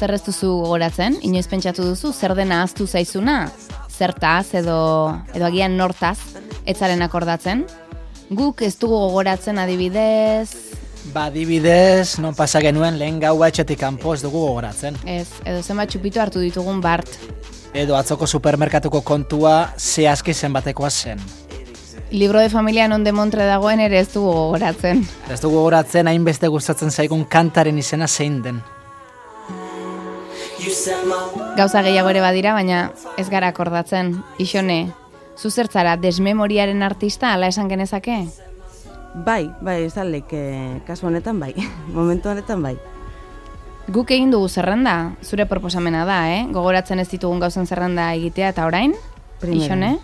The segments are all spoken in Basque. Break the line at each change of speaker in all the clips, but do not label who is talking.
zer ez duzu gogoratzen? Inoiz pentsatu duzu, zer dena ahaztu zaizuna? Zertaz edo agian nortaz, etzaren akordatzen? Guk ez dugu gogoratzen adibidez...
Adibidez, non pasa genuen lehen gaua etxetik kanpo ez dugu gogoratzen.
Ez, edo zenbat txupito hartu ditugun bart.
Edo atzoko supermerkatuko kontua zehazki zenbatekoa zen.
Libro de familia non de Montre dagoen ere ez dugu gogoratzen.
Ez dugu gogoratzen hainbeste gustatzen zaigun kantaren izena zein den.
Gauza gehiago ere badira, baina ez gara akordatzen. Ixone, zu zertzara desmemoriaren artista ala esan genezake?
Bai, ez alek, kasu honetan bai, momentu honetan bai.
Guk egin dugu zerrenda, zure proposamena da, Gogoratzen ez ditugun gauzen zerrenda egitea eta orain? Ixone?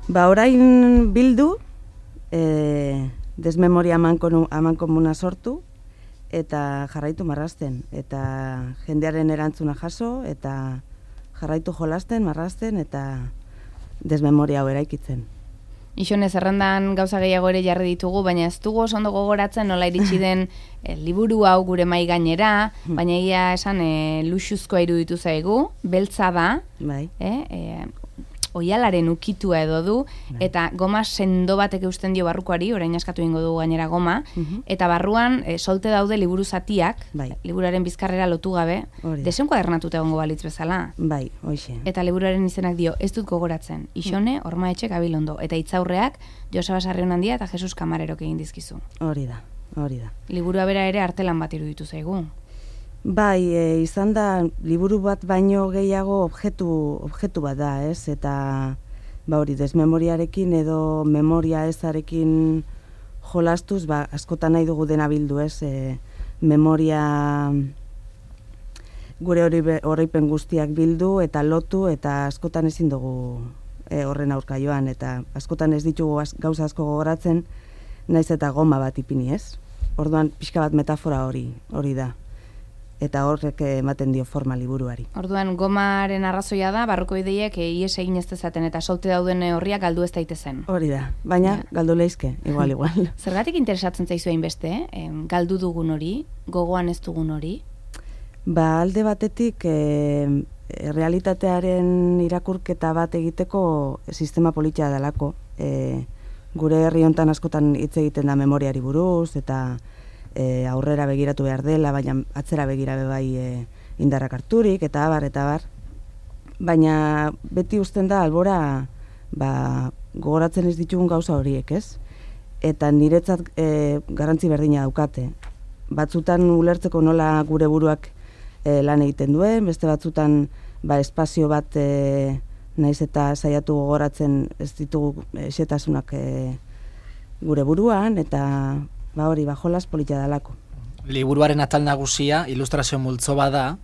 Orain bildu, desmemoria amankomuna sortu, eta jarraitu marrazten, eta jendearen erantzuna jaso, eta jarraitu jolasten, marrazten, eta desmemoria hau eraikitzen.
Ixone, zerrendan gauza gehiago ere jarri ditugu, baina ez dugu oso ondo gogoratzen nola iritsi den liburu hau gure mai gainera, baina egia esan luxuzkoa iruditu zaigu, beltza da, oialaren ukitua edo du, eta goma sendo batek eusten dio barrukoari, orain askatu ingo dugu gainera goma, eta barruan solte daude liburu zatiak, liburuaren bizkarrera lotu gabe, desenkuadernatuta egongo balitz bezala.
Bai, hoxe.
Eta liburuaren izenak dio, ez dut gogoratzen, Ixone, Ormaetxe Gabilondo, eta hitzaurreak Joseba Sarrionandia eta Jesus Kamarerok egin dizkizu.
Hori da.
Liburua bera ere artelan bat iruditu zaigu.
Bai, izan da, liburu bat baino gehiago objektu bat da, ez? Eta, hori, desmemoriarekin edo memoria ezarekin jolastuz, askotan nahi dugu dena bildu, ez? Memoria gure oroipen guztiak bildu eta lotu, eta askotan ezin dugu horren aurka joan, eta askotan ez ditugu gauza asko gogoratzen, naiz eta goma bat ipini, ez? Orduan, pixka bat metafora hori da. Eta horrek ematen dio forma liburuari.
Orduan, gomaren arrazoia da, barruko ideiek ies egin ez dezaten eta solte dauden horriak galdu ez daitezen.
Hori da, baina galdu leizke, igual.
Zergatik interesatzen zaizu hainbeste, galdu dugun hori, gogoan ez dugun hori?
Alde batetik, realitatearen irakurketa bat egiteko sistema politia dalako. Gure herri hontan askotan hitz egiten da memoriari buruz, eta aurrera begiratu behar dela, baina atzera begira bai indarrak harturik, eta abar. Baina beti uzten da albora gogoratzen ez ditugun gauza horiek, ez? Eta niretzat garrantzi berdina daukate. Batzutan ulertzeko nola gure buruak lan egiten duen, beste batzutan espazio bat naiz eta saiatu gogoratzen ez ditugu xetasunak gure buruan, eta hori, jolas politia dalako.
Liburuaren atal nagusia ilustrazio multzo bada,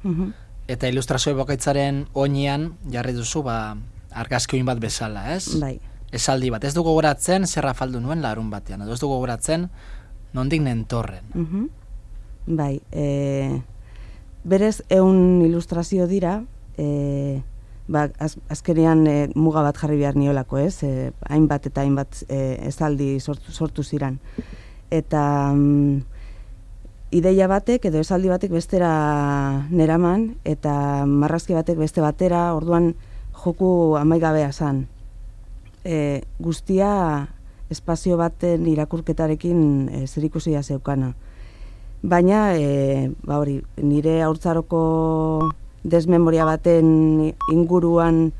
eta ilustrazio bokaitzaren oinean jarri duzu argazki oin bat bezala, ez?
Bai.
Esaldi bat, ez du gogoratzen zerra faldu nuen larun batean, edo ez du gogoratzen nondik nentorren.
Bai, berez 100 ilustrazio dira, azkenean muga bat jarri behar niolako, ez? Hainbat eta hainbat esaldi sortu ziran. Eta ideia batek edo esaldi batek bestera neraman, eta marrazki batek beste batera, orduan joku amaigabea zan. Guztia espazio baten irakurketarekin zerikusia zeukana. Baina, hori, nire haurtzaroko desmemoria baten inguruan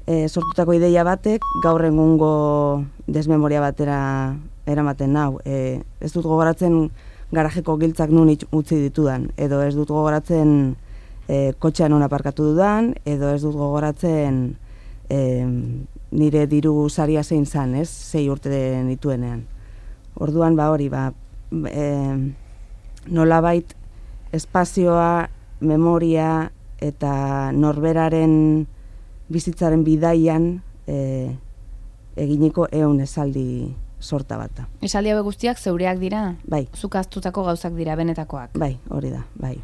sortutako ideia batek gaur egungo desmemoria batera eramaten nau. Ez dut gogoratzen garajeko giltzak nun utzi ditudan, edo ez dut gogoratzen kotxean non aparkatu dudan, edo ez dut gogoratzen nire diru saria zein zan, ez? 6 urte nituenean. Orduan, hori, nolabait espazioa, memoria eta norberaren bizitzaren bidaian eginiko 100 esaldi sorta bata.
Esaldi hauek guztiak zeureak dira?
Bai.
Zuk ahaztutako gauzak dira, benetakoak?
Bai, hori da, bai.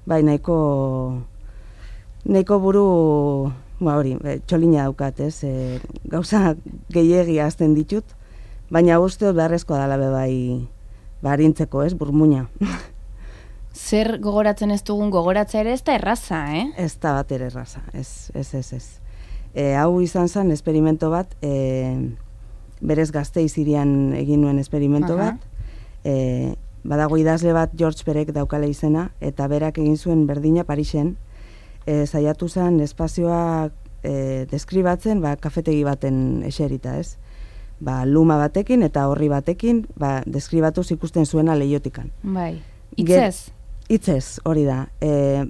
Bai, nahiko buru, hori, txolina daukat, ez? Gauza gehiegi ahazten ditut, baina uste beharrezkoa dela bai harintzeko, ez? Burmuina.
zer gogoratzen ez dugun gogoratza ere ez da erraza,
Ez da bat ere erraza, ez. Hau izan zen esperimento bat, berez Gasteiz hirian egin nuen esperimento bat, badago idazle bat George Perec daukala izena, eta berak egin zuen berdina Parisen, saiatu zen espazioa deskribatzen, kafetegi baten eserita, ez? Luma batekin eta horri batekin, deskribatuz ikusten zuena leihotikan.
Bai, hitzez?
Hitzez, hori da.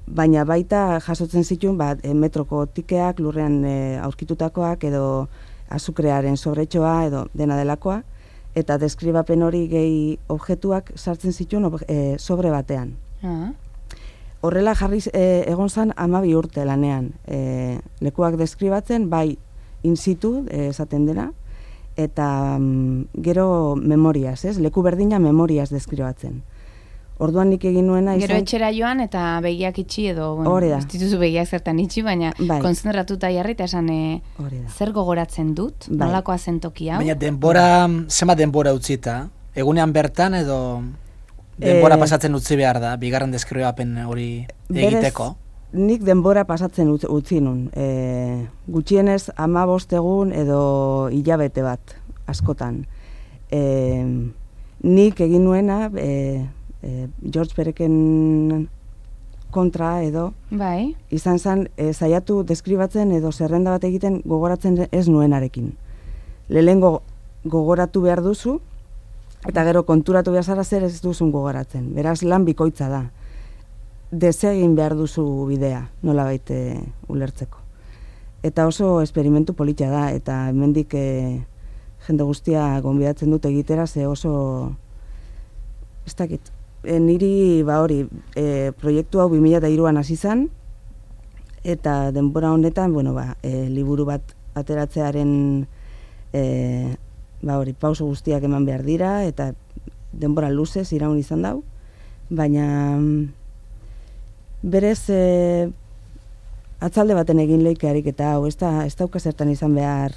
Baina baita jasotzen zituen, metroko tikeak, lurrean aurkitutakoak, edo azukrearen sobretxoa, edo dena delakoa, eta deskribapen hori gehi objektuak sartzen zituen sobre batean. Horrela jarriz egon zan 12 urte lanean. Lekuak deskribatzen, bai in situ, esaten dena, eta gero memoriaz, leku berdina memoriaz deskribatzen. Orduan nik egin nuena
izan... Gero etxera joan eta begiak itxi edo, ez dituzu begiak zertan itxi, baina konzentratuta jarri eta esan zer gogoratzen dut, nolakoa zen toki hau.
Baina zema denbora utzita, egunean bertan edo denbora pasatzen utzi behar da, bigarren deskribapen hori egiteko?
Nik denbora pasatzen utzi nun. Gutxienez 15 egun edo hilabete bat, askotan. Nik egin nuena... George Perecen kontra edo izan zen saiatu deskribatzen edo zerrenda bat egiten gogoratzen ez nuenarekin. Lehengo gogoratu behar duzu eta gero konturatu behar zara zer ez duzun gogoratzen. Beraz lan bikoitza da. Desegin behar duzu bidea, nola baite ulertzeko. Eta oso esperimentu politia da eta hemendik jende guztia gonbidatzen dut egitera ze oso ez dakit. Niri, proiektu hau 2003an hasi zen, eta denbora honetan, liburu bat ateratzearen pauso guztiak eman behar dira, eta denbora luzez iraun izan dau, baina berez atzalde baten egin leikearik eta hau, ez dauka zertan izan behar,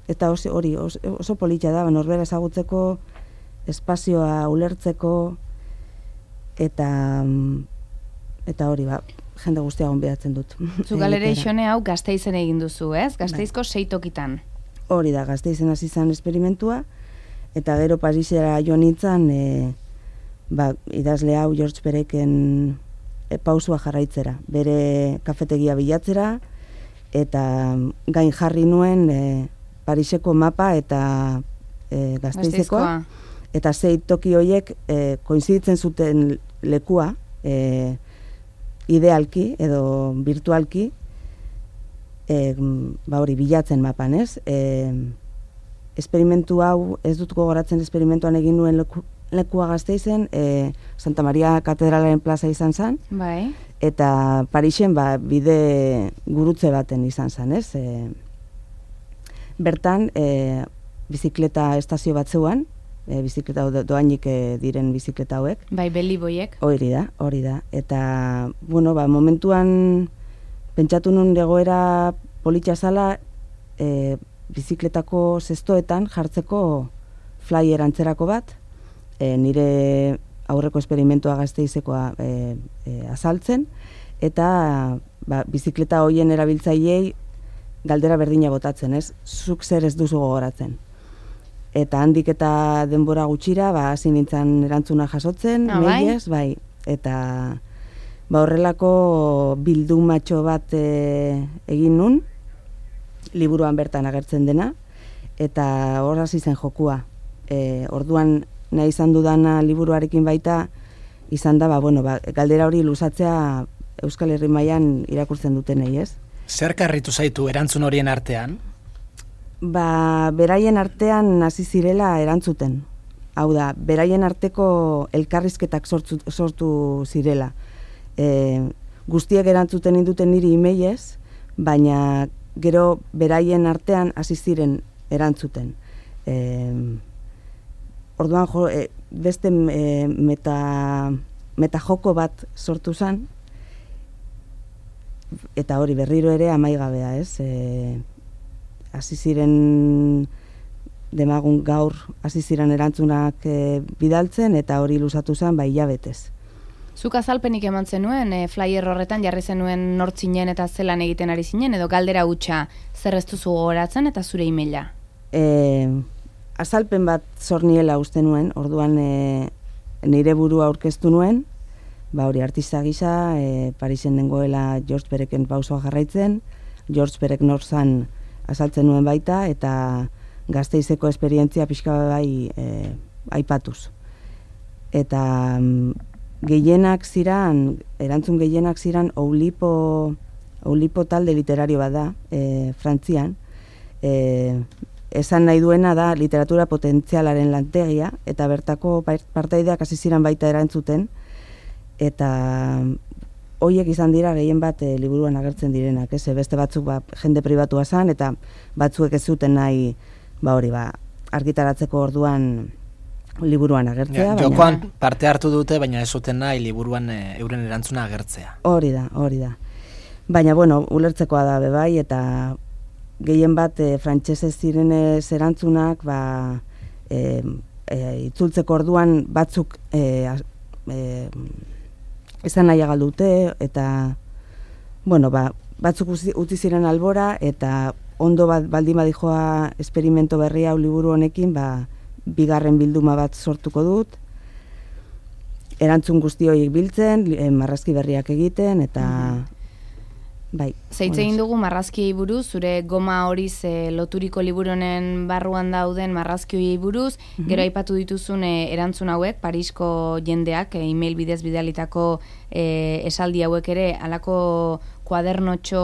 eta oso politia da, norbera ezagutzeko, espazioa ulertzeko eta hori jende guztia gonbidatzen dut.
Zu galereixone hau Gasteizen egin duzu, ez? Gasteizko 6 tokitan.
Hori da, Gasteizen hasi zen esperimentua eta gero Parisera joan nintzen idazle hau George Perecen pausua jarraitzera, bere kafetegia bilatzera eta gain jarri nuen Pariseko mapa eta Gasteizeko eta 6 toki horiek koinziditzen zuten lekua idealki edo virtualki bilatzen mapan, ez? Esperimentu hau, ez dut gogoratzen esperimentuan egin nuen lekua Gasteizen, Santa Maria Katedralaren plaza izan zen, eta Parisen bide gurutze baten izan zen, ez? Bertan, bizikleta estazio bat zeuan, bizikleta doainik diren bizikleta hauek.
Bai, beliboiek.
Hori da. Eta, momentuan pentsatu nun egoera politia zala bizikletako zestoetan jartzeko flyer antzerako bat, nire aurreko esperimentua Gasteizekoa azaltzen, eta bizikleta hoien erabiltzaileei galdera berdina botatzen, ez? Zuk zer ez duzu gogoratzen. Eta handik eta denbora gutxira, hasi nintzen erantzuna jasotzen, mailez, eta horrelako bildumatxo bat egin nun, liburuan bertan agertzen dena, eta hor hasi zen jokua. Orduan nahi izan dudana liburuarekin baita, izan da, galdera hori luzatzea Euskal Herri mailan irakurtzen dutenei, ez?
Zer karritu zaitu erantzun horien artean?
Beraien artean hasi zirela erantzuten. Hau da, beraien arteko elkarrizketak sortu zirela. Guztiek erantzuten induten niri emailez, baina gero beraien artean hasi ziren erantzuten. Orduan beste metajoko bat sortu zen, eta hori berriro ere amaigabea, ez? Hasi ziren demagun gaur hasi ziren erantzunak bidaltzen, eta hori luzatu zen hilabetez.
Zuk azalpenik eman zenuen, flyer horretan jarri zenuen nortzinen eta zelan egiten ari zinen, edo galdera hutsa zer ez duzu gogoratzen eta zure emaila?
Azalpen bat zorniela uste nuen, orduan nire burua aurkeztu nuen, hori artista gisa, Parisen dengoela George Pereken pausoa jarraitzen, George Perek norzan azaltzen nuen baita, eta Gasteizeko esperientzia pixka bai aipatuz. Eta gehienak ziran, erantzun gehienak ziran Oulipo talde literario bat da, Frantzian. Esan nahi duena da literatura potentzialaren lantegia, eta bertako partaideak hasi ziren baita erantzuten, eta horiek izan dira gehien bat liburuan agertzen direnak, beste batzuk jende pribatua zen, eta batzuek ez zuten nahi argitaratzeko orduan liburuan agertzea.
Jokoan parte hartu dute, baina ez zuten nahi liburuan euren erantzuna agertzea.
Hori da. Baina, ulertzekoa da bebai, eta gehien bat frantsesez zirenez erantzunak, itzultzeko orduan batzuk esan nahi agaldute, eta batzuk utzi ziren albora, eta ondo baldin badijoa esperimento berria liburu honekin, bigarren bilduma bat sortuko dut, erantzun guzti horiek biltzen, marrazki berriak egiten, eta
Zeitz egin dugu marrazkiei buruz, zure goma horiz loturiko liburu honen barruan dauden marrazkiei buruz, gero aipatu dituzun erantzun hauek, Parisko jendeak, email bidez bidalitako esaldi hauek ere, halako kuadernotxo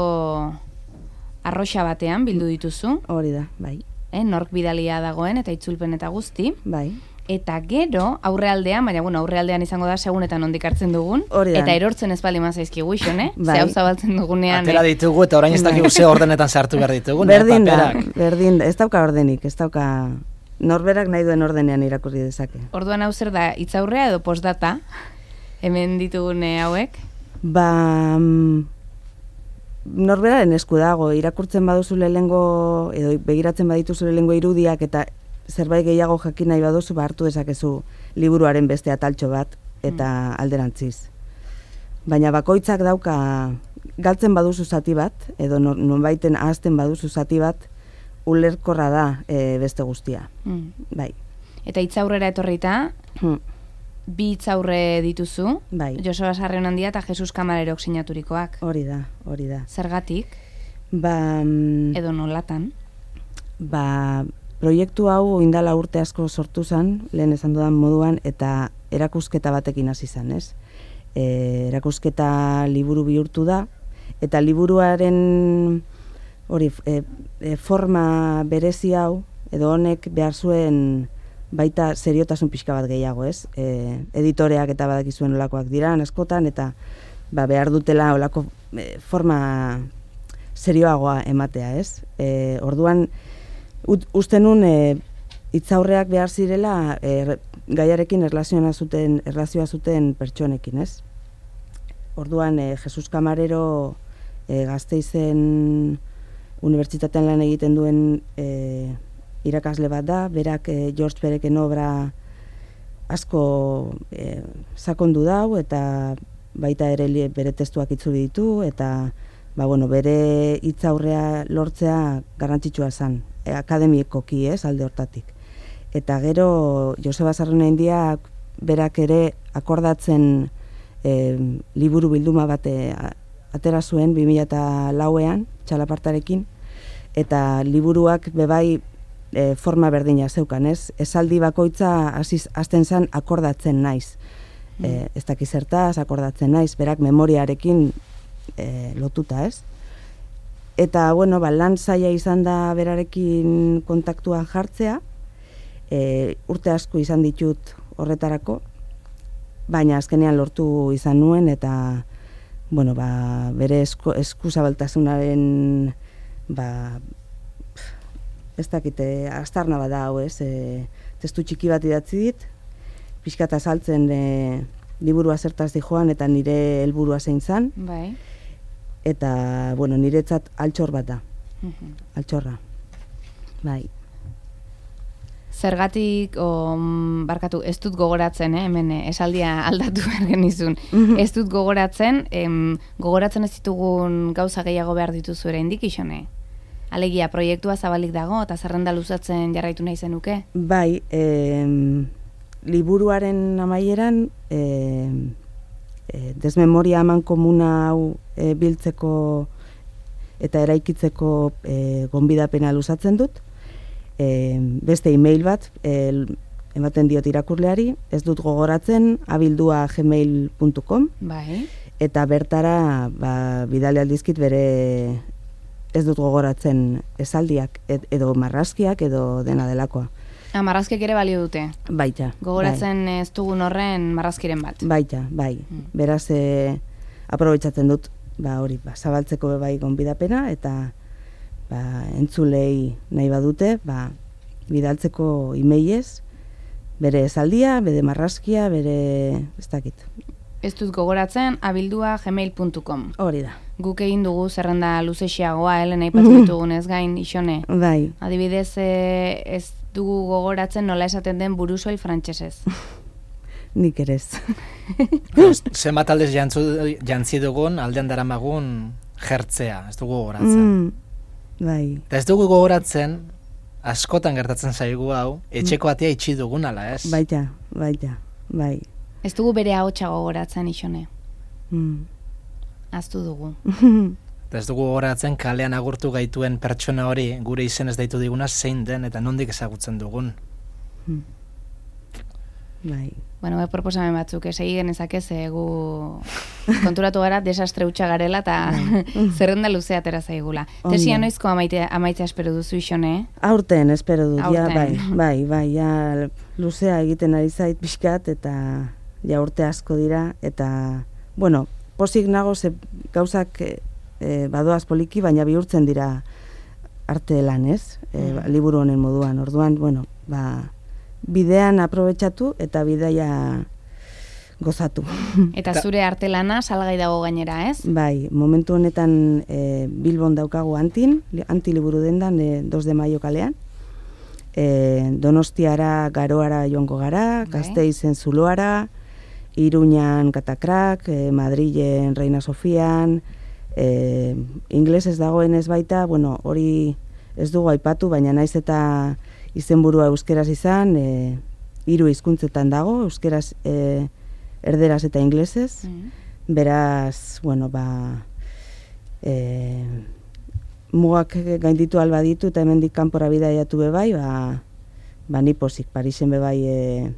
arroxa batean bildu dituzu.
Hori da, bai.
Nork bidalia dagoen eta itzulpen eta guzti.
Bai.
Eta gero, aurrealdean, baina aurrealdean izango da segunetan ondik hartzen dugun,
Horidan.
Eta erortzen ez bali mazaizkigu ison, Ze hau zabaltzen dugunean.
Atera ditugu eta orain ez dakigu ze ordenetan sartu behar ditugu.
Berdin da, ez dauka ordenik, ez dauka norberak nahi duen ordenean irakurri dezake.
Orduan hau zer da, hitzaurrea edo postdata, hemen ditugun hauek?
Norberaren esku dago, irakurtzen baduzu lehengo, edo begiratzen badituzu lehengo irudiak, eta zerbait gehiago jakin nahi baduzu, hartu dezakezu liburuaren beste ataltxo bat, eta alderantziz. Baina bakoitzak dauka, galtzen baduzu zati bat, edo nonbaiten ahazten baduzu zati bat, ulerkorra da beste guztia. Bai.
Eta hitzaurrera etorrita, bi hitzaurre dituzu, Joseba Sarrionandia eta Jesus Kamarerok sinaturikoak.
Hori da.
Zergatik? Edo nolatan?
Proiektu hau indala urte asko sortu zen, lehen esan dudan moduan, eta erakusketa batekin hasi zen, ez? Erakusketa liburu bihurtu da, eta liburuaren forma berezi hau, edo honek behar zuen baita seriotasun pixka bat gehiago, ez? Editoreak eta badakizuen olakoak dira, askotan, eta behar dutela olako forma serioagoa ematea, ez? Orduan, uste nun hitzaurreak behar zirela gaiarekin erlazioa zuten pertsonekin, ez? Orduan, Jesus Camarero Gasteizen unibertsitatean lan egiten duen irakasle bat da, berak George Pereken obra asko sakondu dau, eta baita ere bere testuak itzuli ditu, eta bere hitzaurrea lortzea garrantzitsua zen, akademikoki, alde hortatik. Eta gero Joseba Sarrionandiak berak ere akordatzen liburu bilduma bat atera zuen 2004ean, txalapartarekin, eta liburuak bebai forma berdina zeukan, ez? Esaldi bakoitza hasten zen akordatzen naiz. Ez dakiz zertaz, akordatzen naiz, berak memoriarekin lotuta, ez? Eta, lan zaila izan da berarekin kontaktuan jartzea, urte asko izan ditut horretarako, baina azkenean lortu izan nuen, eta, bere eskuzabaltasunaren, ez dakite, astarna bada hau, ez? Testu txiki bat idatzi dit, pixkat azaltzen liburua zertaz di joan, eta nire helburua zein zan.
Bai.
Eta, niretzat altxor bat da. Altxorra. Bai.
Zergatik, barkatu, ez dut gogoratzen, hemen esaldia aldatu behar genizun. Ez dut gogoratzen, gogoratzen ez ditugun gauza gehiago behar dituzu ere indik, Ixone? Alegia, proiektua zabalik dago, eta zerrenda luzatzen jarraitu nahi zenuke?
Bai, liburuaren amaieran, desmemoria eman komuna hau biltzeko eta eraikitzeko gonbidapena luzatzen dut. Beste email bat ematen diot irakurleari, ez dut gogoratzen abildua@gmail.com.
Bai.
Eta bertara bidali aldizkit bere ez dut gogoratzen esaldiak edo marrazkiak edo dena delakoa.
Marrazkiak ere balio dute.
Baita.
Gogoratzen bai. Ez dugun horren marrazkiren bat.
Baita, bai. Beraz aprobetxatzen dut hori, zabaltzeko bai gonbidapena eta entzulei nahi badute, bidaltzeko emailez, bere esaldia, bere marrazkia, bere ez dakit.
Ez dut gogoratzen abildua@gmail.com.
Hori da.
Guk egin dugu zerrenda luzexiagoa, Helen aipatu ditugunez gain, Ixone.
Bai.
Adibidez, ez dugu gogoratzen nola esaten den burusoil frantsesez.
Nik ere ez.
Zenbat aldez jantzi dugun, aldean daramagun jertzea, ez dugu gogoratzen.
Bai.
Eta ez dugu gogoratzen, askotan gertatzen zaigu hau, etxeko atea itxi dugun ala, ez?
Baita, bai.
Ez dugu bere ahotsa gogoratzen, Ixone. Aztu dugu.
Eta ez dugu gogoratzen kalean agurtu gaituen pertsona hori gure izenez deitu diguna zein den eta nondik ezagutzen dugun.
Bai.
Bueno, proposamen batzuk, segi genezake gu konturatu gara desastre hutsa garela eta zerrenda luzea atera zaigula. Tesia noizko amaitzea espero duzu, Ixone?
Aurten espero dut, bai, ja luzea egiten ari zait pixkat eta ja urte asko dira eta, bueno, pozik nago ze gauzak badoaz poliki, baina bihurtzen dira arte lan, ez? Liburu honen moduan, orduan, bueno, bidean aprobetxatu eta bidaia gozatu.
Eta zure arte lana salgai dago gainera, ez?
Bai, momentu honetan Bilbon daukagu anti liburu dendan 2 de maio kalean. Donostiara, Garoara joango gara, Gasteizen Zuloara, Iruñan Katakrak, Madrilen Reina Sofian, inglesez dagoenez baita, bueno, hori ez dugu aipatu, baina naiz eta izenburua euskeraz izan, 3 hizkuntzetan dago, euskeraz, erderaz eta inglesez. Beraz, bueno, mugak gainditu albaditu eta hemendik kanpora bidaiatu bebai, ni pozik, Parisen bebai,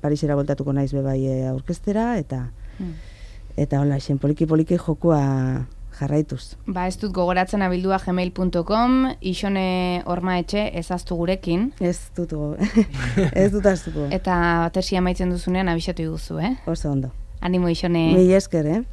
Parisera voltatuko naiz bebai aurkeztera, eta hola, poliki jokua jarraituz.
Ez dut gogoratzen abildua@gmail.com, Ixone Ormaetxe ezaztu gurekin.
Ez dut aztuko.
Eta tesia amaitzen duzunean abixatu iguzu,
Oso ondo.
Animo, Ixone.
Mila esker,